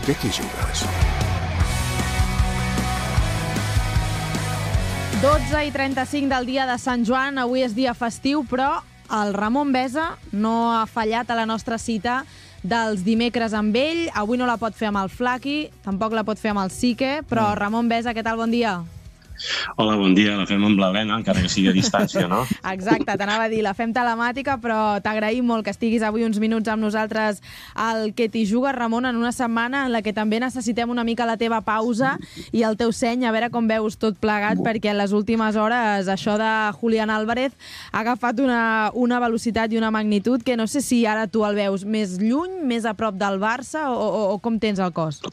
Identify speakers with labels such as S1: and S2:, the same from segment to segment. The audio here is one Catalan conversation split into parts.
S1: Què t'hi jugues?
S2: 12:35 del dia de Sant Joan. Avui és dia festiu, però el Ramon Besa no ha fallat a la nostra cita dels dimecres amb ell. Avui no la pot fer amb el Flaqui, tampoc la pot fer amb el Sique, però Ramon Besa, què tal? Bon dia.
S3: Hola, bon dia. La fem amb l'Helena, encara que sigui a distància, no?
S2: Exacte, t'anava a dir, la fem telemàtica, però t'agraïm molt que estiguis avui uns minuts amb nosaltres al Que t'hi jugues, Ramon, en una setmana en la que també necessitem una mica la teva pausa i el teu seny, a veure com veus tot plegat, perquè en les últimes hores això de Julián Álvarez ha agafat una velocitat i una magnitud que no sé si ara tu el veus més lluny, més a prop del Barça o com tens el cos?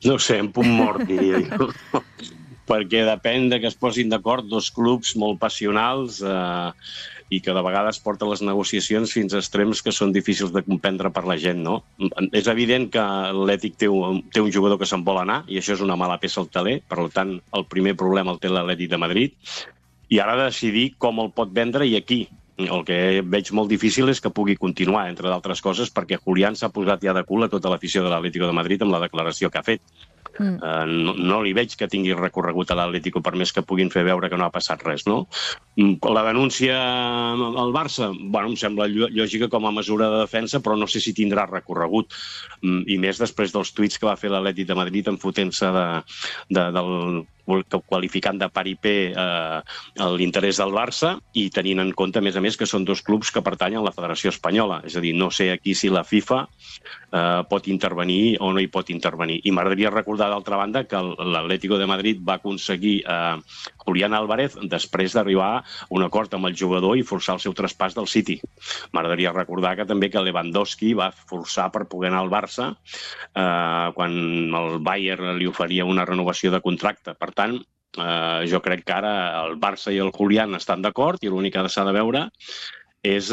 S3: No ho sé, en punt mort, diria jo. Perquè depèn de que es posin d'acord dos clubs molt passionals i que de vegades porten les negociacions fins a extrems que són difícils de comprendre per la gent, no? És evident que l'Atlètic té un jugador que se'n vol anar i això és una mala peça al taler, per tant, el primer problema el té l'Atlètic de Madrid i ara ha de decidir com el pot vendre i a qui. El que veig molt difícil és que pugui continuar, entre d'altres coses, perquè Julián s'ha posat ja de cul a tota l'afició de l'Atlético de Madrid amb la declaració que ha fet. No li veig que tingui recorregut a l'Atlético per més que puguin fer veure que no ha passat res, no? La denúncia al Barça, bueno, em sembla lògica com a mesura de defensa, però no sé si tindrà recorregut. I més després dels tuits que va fer l'Atlètic de Madrid enfotent-se del qualificant de paripé l'interès del Barça i tenint en compte, a més, que són dos clubs que pertanyen a la Federació Espanyola. És a dir, no sé aquí si la FIFA pot intervenir o no hi pot intervenir. I m'agradaria recordar, d'altra banda, que l'Atlético de Madrid va aconseguir Julián Álvarez després d'arribar a un acord amb el jugador i forçar el seu traspàs del City. M'agradaria recordar que també que Lewandowski va forçar per poder anar al Barça quan el Bayern li oferia una renovació de contracte. Per tant, jo crec que ara el Barça i el Julián estan d'acord i l'únic que s'ha de veure és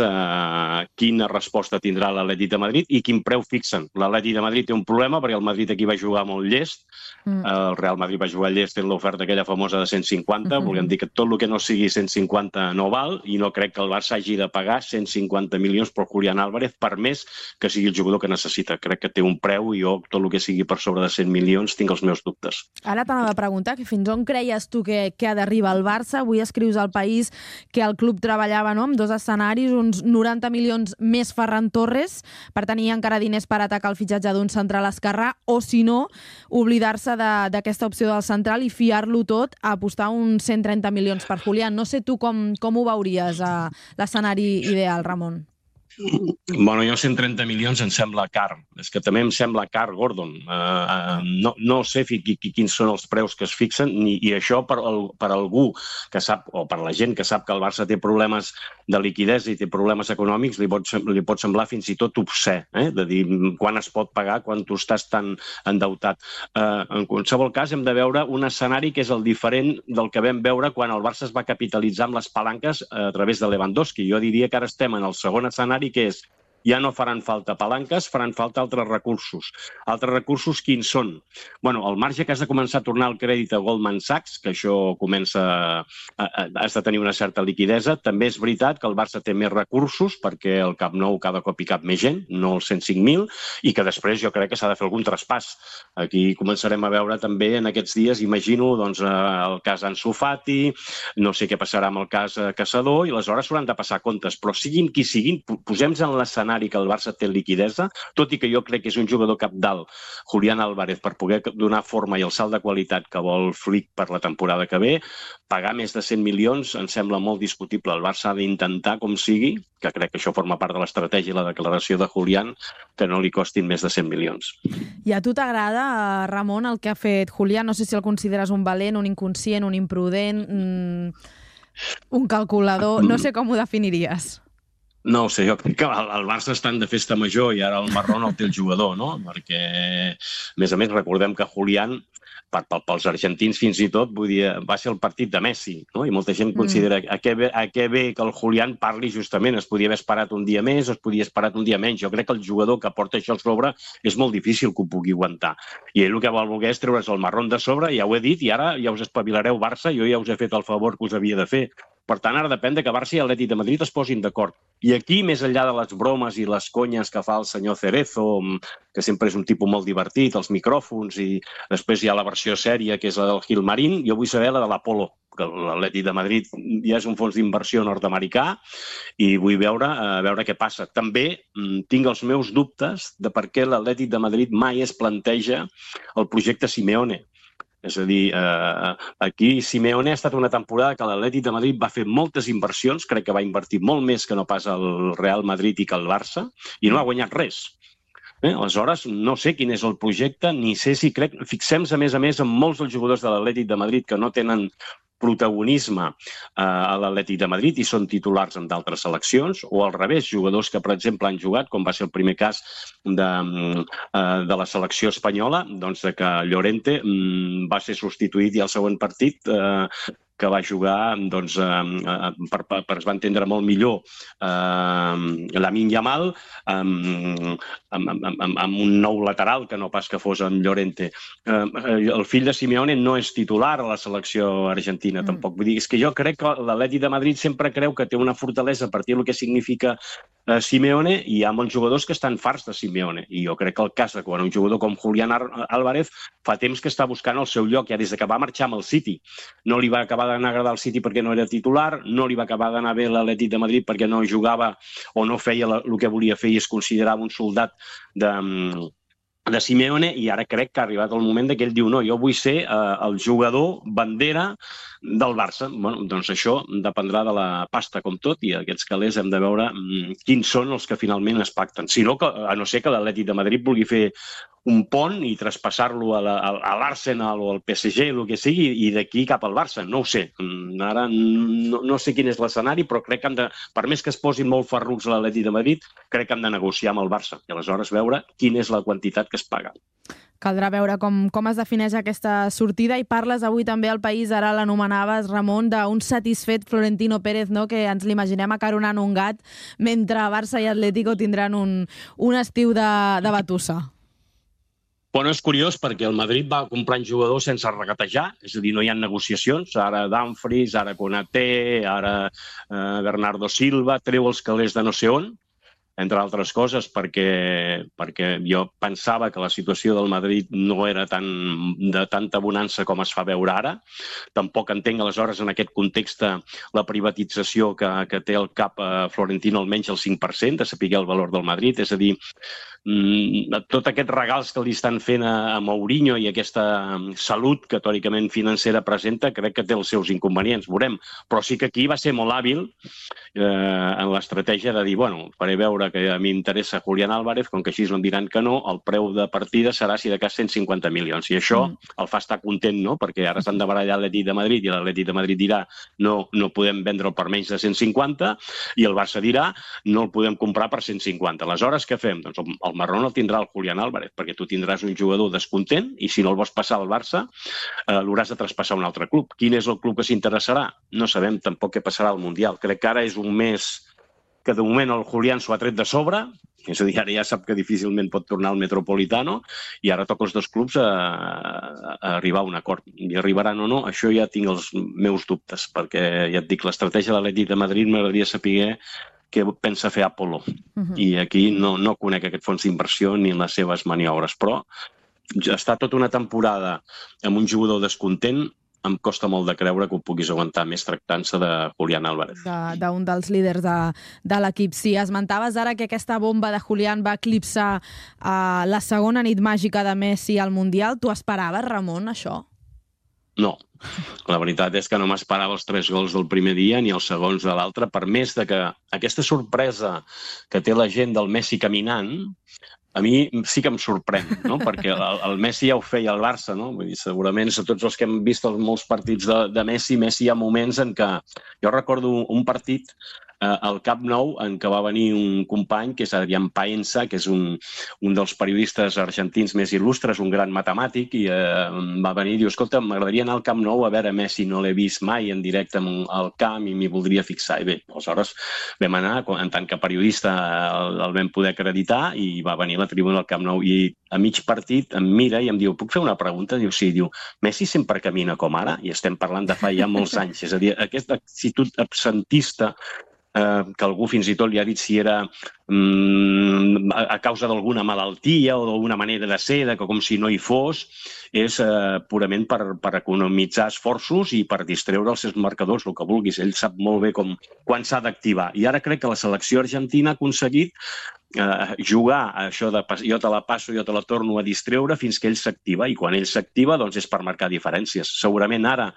S3: quina resposta tindrà l'Atlètic de Madrid i quin preu fixen. L'Atlètic de Madrid té un problema perquè el Madrid aquí va jugar molt llest, el Real Madrid va jugar llest en l'oferta aquella famosa de 150, volguem dir que tot el que no sigui 150 no val i no crec que el Barça hagi de pagar 150 milions per Julián Álvarez per més que sigui el jugador que necessita. Crec que té un preu i jo tot el que sigui per sobre de 100 milions tinc els meus dubtes.
S2: Ara t'anava a preguntar que fins on creies tu que ha d'arribar el Barça. Avui escrius al País que el club treballava amb dos escenaris, uns 90 milions més Ferran Torres per tenir encara diners per atacar el fitxatge d'un central esquerrà o, si no, oblidar-se d'aquesta opció del central i fiar-lo tot a apostar uns 130 milions per Julián. No sé tu com ho veuries, l'escenari ideal, Ramon.
S3: Bueno, jo 130 milions em sembla car. És que també em sembla car, Gordon. No sé quins són els preus que es fixen i això per algú que sap, o per la gent que sap que el Barça té problemes de liquiditat i té problemes econòmics, li pot semblar fins i tot obscè, de dir quan es pot pagar quan tu estàs tan endeutat. En qualsevol cas, hem de veure un escenari que és el diferent del que vam veure quan el Barça es va capitalitzar amb les palanques a través de Lewandowski. Jo diria que ara estem en el segon escenari, que és ja no faran falta palanques, faran falta altres recursos. Altres recursos quins són? Bueno, al marge que has de començar a tornar el crèdit a Goldman Sachs, que això has de tenir una certa liquidesa, també és veritat que el Barça té més recursos perquè el Camp Nou cada cop hi cap més gent, no els 105.000, i que després jo crec que s'ha de fer algun traspàs. Aquí començarem a veure també en aquests dies, imagino, el cas Ansu Fati, no sé què passarà amb el cas Caçador, i aleshores s'hauran de passar comptes, però siguin qui siguin, posem-nos en l'escenari que el Barça té liquidesa, tot i que jo crec que és un jugador cabdal, Julián Álvarez, per poder donar forma i el salt de qualitat que vol Flick per la temporada que ve, pagar més de 100 milions em sembla molt discutible. El Barça ha d'intentar, com sigui, que crec que això forma part de l'estratègia i la declaració de Julián, que no li costin més de 100 milions.
S2: I a tu t'agrada, Ramon, el que ha fet Julián? No sé si el consideres un valent, un inconscient, un imprudent, un calculador, no sé com ho definiries.
S3: No ho sé, jo crec que el Barça estan de festa major i ara el marrón el té el jugador, no? Perquè, a més, recordem que Julián, pels argentins fins i tot, vull dir, va ser el partit de Messi, no? I molta gent considera a què ve que el Julián parli justament. Es podia haver esperat un dia més, es podia haver esperat un dia menys. Jo crec que el jugador que porta això a sobre és molt difícil que ho pugui aguantar. I ell el que vol voler és treure's el marrón de sobre, ja ho he dit, i ara ja us espavilareu Barça, jo ja us he fet el favor que us havia de fer. Per tant, ara depèn que Barça i Atlètic de Madrid es posin d'acord. I aquí, més enllà de les bromes i les conyes que fa el senyor Cerezo, que sempre és un tipus molt divertit, els micròfons, i després hi ha la versió sèria, que és la del Gilmarín, jo vull saber la de l'Apolo, que l'Atlètic de Madrid ja és un fons d'inversió nord-americà, i vull veure què passa. També tinc els meus dubtes de per què l'Atlètic de Madrid mai es planteja el projecte Simeone. És a dir, aquí Simeone ha estat una temporada que l'Atlètic de Madrid va fer moltes inversions, crec que va invertir molt més que no pas el Real Madrid i que el Barça, i no ha guanyat res. Aleshores, no sé quin és el projecte, ni sé si crec... Fixem-nos, a més, en molts dels jugadors de l'Atlètic de Madrid que no tenen protagonisme a l'Atlètic de Madrid i són titulars en d'altres seleccions, o al revés, jugadors que, per exemple, han jugat, com va ser el primer cas de la selecció espanyola, doncs que Llorente va ser substituït i al següent partit que va jugar, doncs, es va entendre molt millor Lamine Yamal amb un nou lateral que no pas que fos en Llorente. El fill de Simeone no és titular a la selecció argentina, tampoc. Vull dir, és que jo crec que l'Atlètic de Madrid sempre creu que té una fortalesa a partir del que significa Simeone, i hi ha molts jugadors que estan farts de Simeone. I jo crec que el cas de quan un jugador com Julián Álvarez fa temps que està buscant el seu lloc, ja des que va marxar amb el City. No li va acabar d'anar a agradar el City perquè no era titular, no li va acabar d'anar bé l'Atlètic de Madrid perquè no jugava o no feia el que volia fer i es considerava un soldat de Simeone, i ara crec que ha arribat el moment que ell diu no, jo vull ser el jugador bandera del Barça. Bueno, doncs això dependrà de la pasta com tot, i aquests calés hem de veure quins són els que finalment es pacten. Si no, a no ser que l'Atlètic de Madrid vulgui fer un pont i traspassar-lo a l'Arsenal o al PSG, el que sigui, i d'aquí cap al Barça. No ho sé. Ara no sé quin és l'escenari, però crec que per més que es posin molt ferruts a l'Atlètic de Madrid, crec que hem de negociar amb el Barça i aleshores veure quina és la quantitat que es paga.
S2: Caldrà veure com es defineix aquesta sortida, i parles avui també al País, ara l'anomenaves, Ramon, d'un satisfet Florentino Pérez, no? Que ens l'imaginem acaronant un gat, mentre Barça i Atlético tindran un estiu de batussa.
S3: Bueno, és curiós perquè el Madrid va comprant jugadors sense regatejar, és a dir, no hi ha negociacions, ara Dumfries, ara Konaté, ara Bernardo Silva, treu els calés de no sé on, entre altres coses perquè jo pensava que la situació del Madrid no era de tanta bonança com es fa veure ara. Tampoc entenc, aleshores, en aquest context, la privatització que té al cap Florentino, almenys el 5%, de saber el valor del Madrid. És a dir, tots aquests regals que li estan fent a Mourinho i aquesta salut que teòricament financera presenta, crec que té els seus inconvenients, veurem. Però sí que aquí va ser molt hàbil en l'estratègia de dir, bueno, faré veure que a mi m'interessa Julián Álvarez, com que així no em diran que no, el preu de partida serà si de cas 150 milions. I això el fa estar content, no? Perquè ara s'han de barallar l'Atlètic de Madrid i l'Atlètic de Madrid dirà no podem vendre'l per menys de 150 i el Barça dirà no el podem comprar per 150. Aleshores, què fem? Doncs el marrón el tindrà el Julián Álvarez, perquè tu tindràs un jugador descontent i si no el vols passar al Barça l'hauràs de traspassar a un altre club. Quin és el club que s'interessarà? No sabem tampoc què passarà al Mundial. Crec que ara és un mes que de moment el Julián s'ho ha tret de sobre, és a dir, ara ja sap que difícilment pot tornar al Metropolitano i ara toca els dos clubs a arribar a un acord. I arribaran o no, això ja tinc els meus dubtes, perquè ja et dic, l'estratègia de l'Atlètic de Madrid m'agradaria saber què pensa fer Apolo. I aquí no conec aquest fons d'inversió ni les seves maniobres, però està tota una temporada amb un jugador descontent, em costa molt de creure que ho puguis aguantar més tractant-se de Julián Álvarez.
S2: D'un dels líders de l'equip. Sí, esmentaves ara que aquesta bomba de Julián va eclipsar la segona nit màgica de Messi al Mundial. Tu esperaves, Ramon, això?
S3: No. La veritat és que no m'esperava els 3 gols del primer dia ni els segons de l'altre, per més de que aquesta sorpresa que té la gent del Messi caminant, a mi sí que em sorprèn, no? Perquè el Messi ja ho feia al Barça, no? Vull dir, segurament, a tots els que hem vist molts partits de Messi, hi ha moments en què... Jo recordo un partit al Camp Nou, en què va venir un company, que és Adrián Paenza, que és un dels periodistes argentins més il·lustres, un gran matemàtic, i va venir i diu, escolta, m'agradaria anar al Camp Nou a veure Messi, no l'he vist mai en directe al camp i m'hi voldria fixar. I bé, aleshores vam anar, en tant que periodista el vam poder acreditar i va venir a la tribuna del Camp Nou i a mig partit em mira i em diu, puc fer una pregunta? Diu, sí. Diu, Messi sempre camina com ara? I estem parlant de fa ja molts anys. És a dir, aquesta actitud absentista que algú fins i tot li ha dit si era a causa d'alguna malaltia o d'alguna manera de ser, que com si no hi fos, és purament per economitzar esforços i per distreure els seus marcadors, el que vulguis. Ell sap molt bé quan s'ha d'activar. I ara crec que la selecció argentina ha aconseguit jugar això de jo te la passo, jo te la torno a distreure fins que ell s'activa, i quan ell s'activa doncs és per marcar diferències. Segurament ara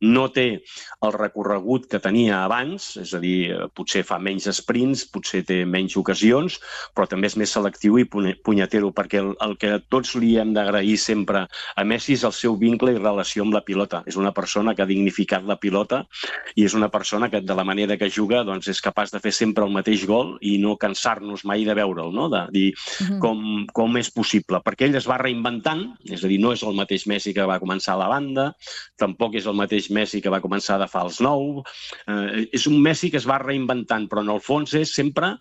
S3: no té el recorregut que tenia abans, és a dir, potser fa menys sprints, potser té menys ocasions, però també és més selectiu i punyetero, perquè el que tots li hem d'agrair sempre a Messi és el seu vincle i relació amb la pilota. És una persona que ha dignificat la pilota i és una persona que de la manera que juga doncs és capaç de fer sempre el mateix gol i no cansar-nos mai de veure'l, no? De dir com és possible, perquè ell es va reinventant, és a dir, no és el mateix Messi que va començar a la banda, tampoc és el mateix Messi que va començar de fals 9, és un Messi que es va reinventant, però en el fons és sempre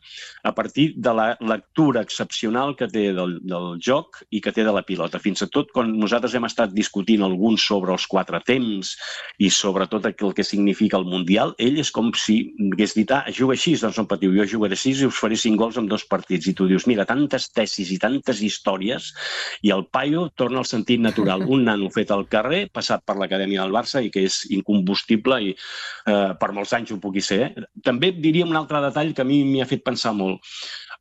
S3: a partir de la lectura excepcional que té del joc i que té de la pilota. Fins i tot quan nosaltres hem estat discutint alguns sobre els 4 temps i sobre tot el que significa el Mundial, ell és com si hagués dit, juga així, doncs no patiu, jo jugaré 6 i us faré 5 gols en 2 partits. I tu dius, mira, tantes tesis i tantes històries, i el paio torna al sentit natural. Un nano fet al carrer, passat per l'acadèmia del Barça i que és incombustible i per molts anys ho pugui ser. També diria un altre detall que a mi m'hi ha fet pensar molt.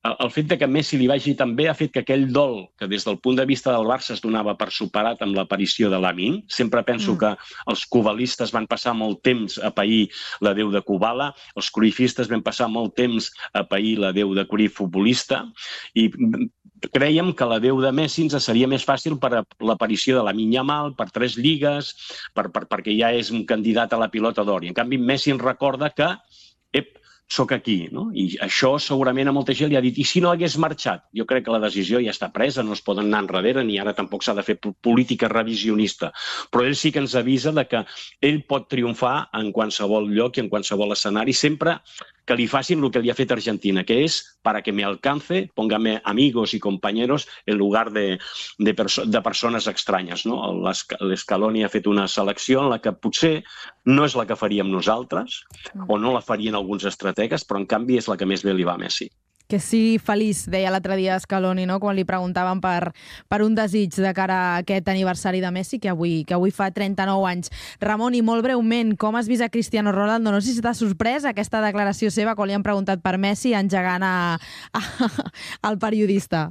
S3: El fet que Messi li vagi tan bé ha fet que aquell dol que des del punt de vista del Barça es donava per superat amb l'aparició de Lamine. Sempre penso que els cubalistes van passar molt temps a pair la Déu de Kubala, els cruifistes van passar molt temps a pair la Déu de Cruyff futbolista, i crèiem que la Déu de Messi ens seria més fàcil per l'aparició de Lamine Yamal, per 3 lligues, perquè ja és un candidat a la pilota d'or. I en canvi Messi ens recorda que soc aquí, no? I això segurament a molta gent li ha dit, i si no hagués marxat? Jo crec que la decisió ja està presa, no es poden anar enrere, ni ara tampoc s'ha de fer política revisionista. Però ell sí que ens avisa que ell pot triomfar en qualsevol lloc i en qualsevol escenari, sempre que li facin el que li ha fet Argentina, que és para que me alcance, póngame amigos y compañeros en lugar de persones estranyes. L'Scaloni ha fet una selecció en la que potser no és la que faríem nosaltres, o no la farien alguns estrategues, però en canvi és la que més bé li va a Messi.
S2: Que sigui feliç, deia l'altre dia Scaloni, no? Quan li preguntaven per un desig de cara a aquest aniversari de Messi, que avui fa 39 anys. Ramon, i molt breument, com has vist a Cristiano Ronaldo? No sé si t'ha sorprès aquesta declaració seva quan li han preguntat per Messi engegant al periodista.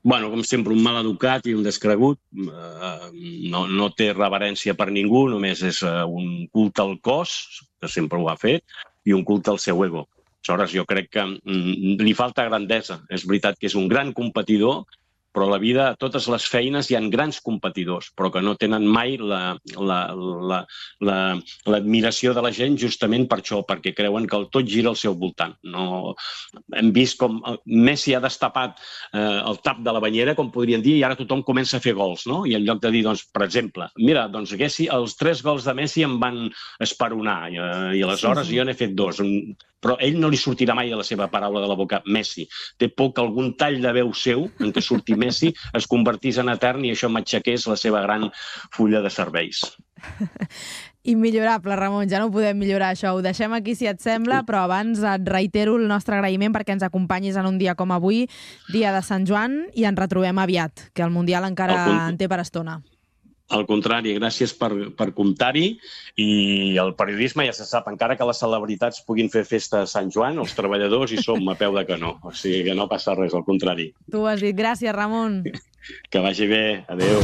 S3: Bueno, com sempre, un mal educat i un descregut. No té reverència per ningú, només és un culte al cos, que sempre ho ha fet, i un culte al seu ego. Aleshores, jo crec que li falta grandesa. És veritat que és un gran competidor, però a la vida, a totes les feines, hi ha grans competidors, però que no tenen mai l'admiració de la gent justament per això, perquè creuen que el tot gira al seu voltant. Hem vist com Messi ha destapat el tap de la banyera, com podrien dir, i ara tothom comença a fer gols, no? I en lloc de dir, doncs, per exemple, mira, doncs els 3 gols de Messi em van esperonar, i aleshores jo n'he fet 2. Però ell no li sortirà mai de la seva paraula de la boca, Messi. Té por que algun tall de veu seu, en què surti Messi, es convertís en etern i això m'aixequés la seva gran fulla de serveis.
S2: Immillorable, Ramon, ja no podem millorar això. Ho deixem aquí, si et sembla, però abans et reitero el nostre agraïment perquè ens acompanyis en un dia com avui, dia de Sant Joan, i ens retrobem aviat, que el Mundial encara en té per estona.
S3: Al contrari, gràcies per comptar-hi, i el periodisme ja se sap, encara que les celebritats puguin fer festa a Sant Joan, els treballadors hi som a peu de canó, o sigui que no passa res, al contrari.
S2: Tu ho has dit. Gràcies, Ramon.
S3: Que vagi bé. Adéu.